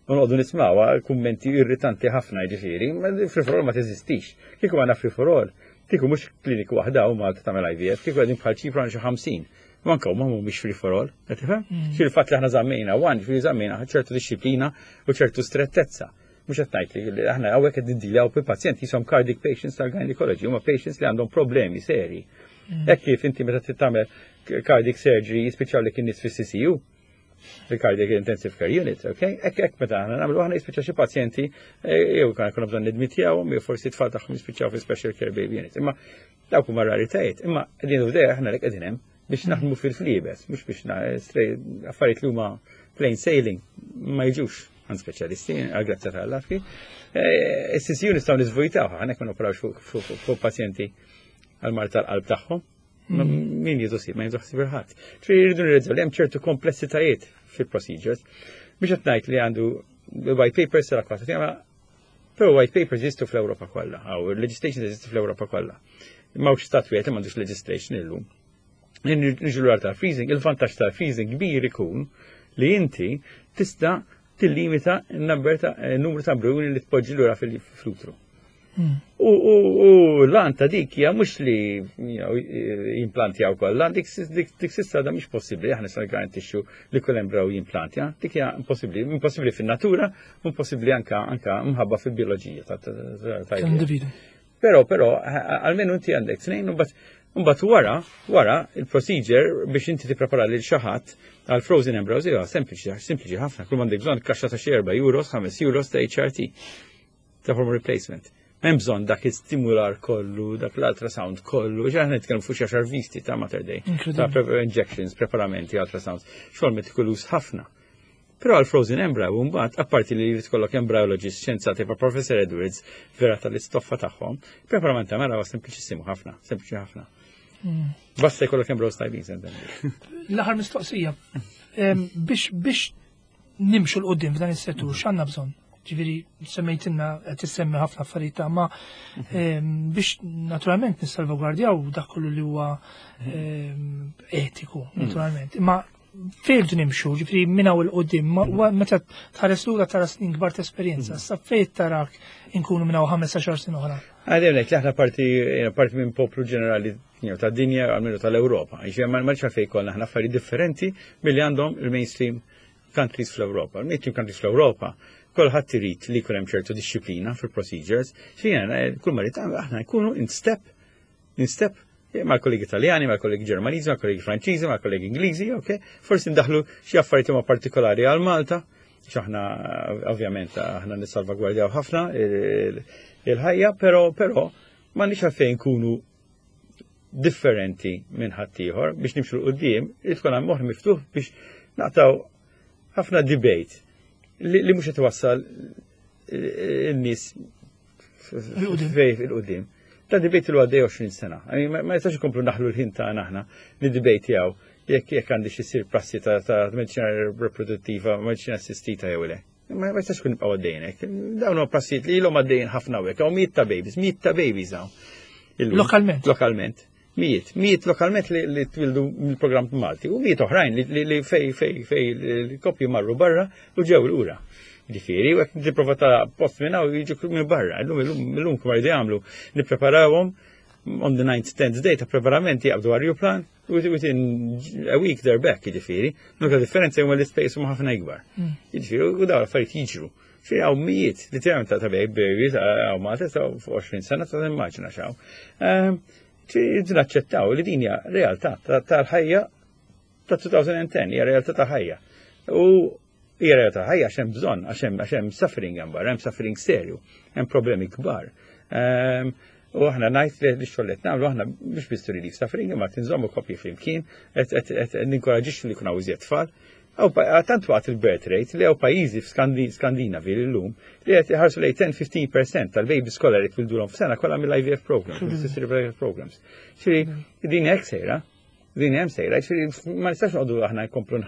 u noqogħdu nismawha kummenti irritanti ħafna jiġifieri, free for all ma teżistix. Kieku għandna free for all, kieku mhux kliniku waħda u Malta tagħmel IVF, kieku qegħdin bħal Ċipru għandna xi 50. U anke huma mhumiex free for all, qed tifhem? Mm. Xi l-fatt li aħna żammejna one, ġifieri żammejna ċertu disċiplina u ċertu strettezza. Mhux qed ngħid li aħna hawnhekk qed niddiljaw bi pazjenti jisom cardiac patients tal-gynecology, huma patients li għandhom problemi seri. Hekk kif inti meta tagħmel cardiac surgery jispiċċaw li kien nies fis-CCU, il-cardiac intensive care unit, ok? Hekk hekk meta aħna nagħmlu aħna jispiċċa xi pazjenti jew kan jkunu bżonn nidmitjawhom jew forsi tfal tagħhom jispiċċaw fi special care baby unit. Imma dawk huma raritajiet, imma qegħdin u aħna li qegħdin hemm biex naħdmu fil-fliebes, mhux biex affarijiet li huma plain sailing ma jiġux għand speċjalisti, għal-grazzja tal-Alla. Is-CCU nistgħu niżvojtaw, aħna ma noperawx fuq pazjenti għal-mard tal-qalb tagħhom. Min jieħu ħsieb, ma jieħu ħsieb ħadd. Ġifieri jridu nirrealizzaw li hemm ċertu komplessitajiet fil-procedures. Biex qed ngħid li għandu white papers sara kważi, però white papers jeżistu fl-Ewropa kollha, aw legislation jeżistu fl-Ewropa kollha. M'hawnx stat wieħed li m'għandux legislation illum. Niġu l tal-freezing, il-vantaġġ tal-freezing kbir ikun li inti tista' tillimita n-number ta' numru ta' embrjoni li tpoġġi lura fil-utru. U l-għan ta' dik hija mhux li jimplantjaw kollha, dik s'issa da mhix possibbli, aħna se garantixxu li kull embriju jimplantja, dik hija impossibbli, impossibbli fin-natura, impossibbli anka anka mħabba fil-bioloġija ta' individu. Però, almenu inti għandek tnejn, u mbagħad wara il-procedure biex inti tipprepara lil xi ħadd għal frozen embryos hija sempliċi, sempliċi ħafna. Kull m'għandek bżonn kaxxa ta' xi 4 euros, 5 euros ta' HRT, ta' hormone replacement. Hemm bżonn dak istimular kollu, dak l-ultrasound kollu, ġa nitkellmu fuq xi għaxar visti ta' Mater Dei, ta' injections, preparamenti, ultrasounds, xogħol metikoluż ħafna. Però għal frozen embryo mbagħad, apparti li jrid kollok embryologist xjenzati pa' Professor Edwards vera tal-istoffa tagħhom, preparament ta' mela huwa sempliċissimu ħafna, sempliċi ħafna. Basta jkollok embryos tajbin sentenni. L-aħħar mistoqsija. Biex nimxu 'l quddiem f'dan is-settur, x'għandna bżonn? Ġifieri semmejtilna qed tissemmi ħafna affarijiet ma biex naturalment nissalvagwardjaw dak kollu li huwa etiku, naturalment. Imma fejn nimxu, ġifieri minn hawn 'il quddiem, meta tħares lura tara snin kbar ta' esperjenza, sa fejn tarak inkunu minn hawn 15 sena oħra? Għadem li aħna parti minn poplu ġenerali ta' dinja, għalmenu tal-Ewropa. Ġifieri ma nix għalfejn kollha aħna affarijiet differenti milli għandhom il-mainstream countries fl-Ewropa. Il-mainstream countries fl-Ewropa, kulħadd irid li jkun hemm ċertu disċiplina fil-procedures. Xejn kull ma rrid aħna nkunu in step mal-kollegi Italjani, mal-kollegi Ġermaniżi, mal-kollegi Franċiżi, mal-kollegi Ingliżi, ok? Forsi ndaħlu xi affarijiet huma partikolari għal Malta, x'aħna ovvjament aħna nissalvagwardjaw ħafna il-ħajja, però m'għandniex għalfejn nkunu differenti minn ħaddieħor biex nimxu 'l quddiem, irid tkun hemm moħħ miftuħ biex naqtaw ħafna debate li mhux qed iwassal in-nies fej 'il quddiem. Ta' debate li għaddej 20 sena. I mean, ma jistax ikomplu naħlu l-ħin ta' aħna niddebatjaw jekk għandi xi prassi ta' mediċina riproduttiva, mediċina assistita jew le. Ma jistax kun nibqgħu għaddejn hekk. Dawn huma prassijiet li ilhom għaddejjin ħafna hekk, hawn mijiet ta' babies, mijiet ta' babies hawn. Illum. Lokalment. Lokalment. Mijiet, mijiet lokalment li twildu mill-programm Malti u mijiet oħrajn li fej l-koppji marru barra u ġew lura. Ġifieri, u hekk tipprova ta' post minn hawn jiġu minn barra. Illum illum illum kif jridu jagħmlu nippreparawhom on the 9th, 10th day ta' preparamenti jaqbdu ajruplan within a week they're back, ġifieri. Nuka differenza huma l-ispejjeż huma ħafna ikbar. Ġifieri, u dawn l-affarijiet jiġru. Fi hawn mijiet, literalment ta' babies, hawn Malta ta' 20 sena ta' immaġina x'hawn. Ġifieri naċċettaw li din hija realtà tal-ħajja ta' 2010, hija realtà ta' ħajja. U hija realtà ħajja għax hemm bżonn, għax hemm suffering hemm barra, hemm suffering serju, hemm problemi kbar. U aħna ngħid li xogħol qed nagħmlu aħna mhux biss relief suffering, imma tinżommu koppji flimkien, qed ninkoraġixxu li jkun hawn iżjed tfal. Aw tant waqt il-birth rate li hawn pajjiżi f'Skandinavi llum li qed iħarsu lejn 10-15% tal-babies kollha li twildulhom f'sena kollha mill-IVF programs, mill-assisted reproductive programs. Ġifieri din hekk sejra, din hemm sejra, ġifieri ma nistax noqogħdu aħna nkomplu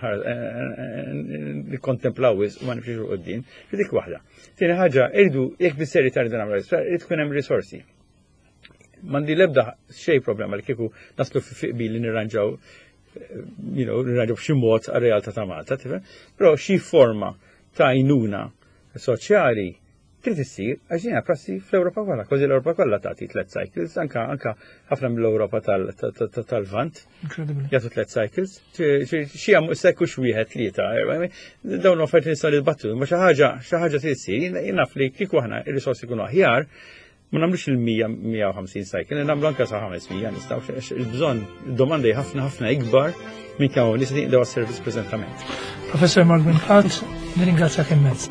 nikkontemplaw wisq u ma nimxux 'il quddiem. Dik waħda. Tieni ħaġa, irridu jekk bis-serjetà rridu nagħmlu irid tkun hemm risorsi. M'għandi l-ebda xejn problema li kieku naslu fi qbil li nirranġaw nirranġaw b'xi mod għar-realtà ta' Malta, tifhem? Però xi forma ta' għajnuna soċjali. Trid issir għax din prassi fl-Ewropa kollha, kważi l-Ewropa kollha tagħti tliet cycles, anka anka ħafna mill-Ewropa tal-Lvant. Jagħtu tliet cycles. Xi hemm sekku wieħed tlieta, dawn l-affarijiet nistgħu nitbattu, imma xi ħaġa xi ħaġa trid issir, jien naf li kieku aħna ir-risorsi jkunu aħjar, ma nagħmlux il-100-150 cycle, nagħmlu anke sa 500 nistgħu il-bżonn domanda ħafna ħafna ikbar minn kemm nies li jaqdew għas-servizz preżentament. Professor Mark Brincat, nirringrazzjak immens.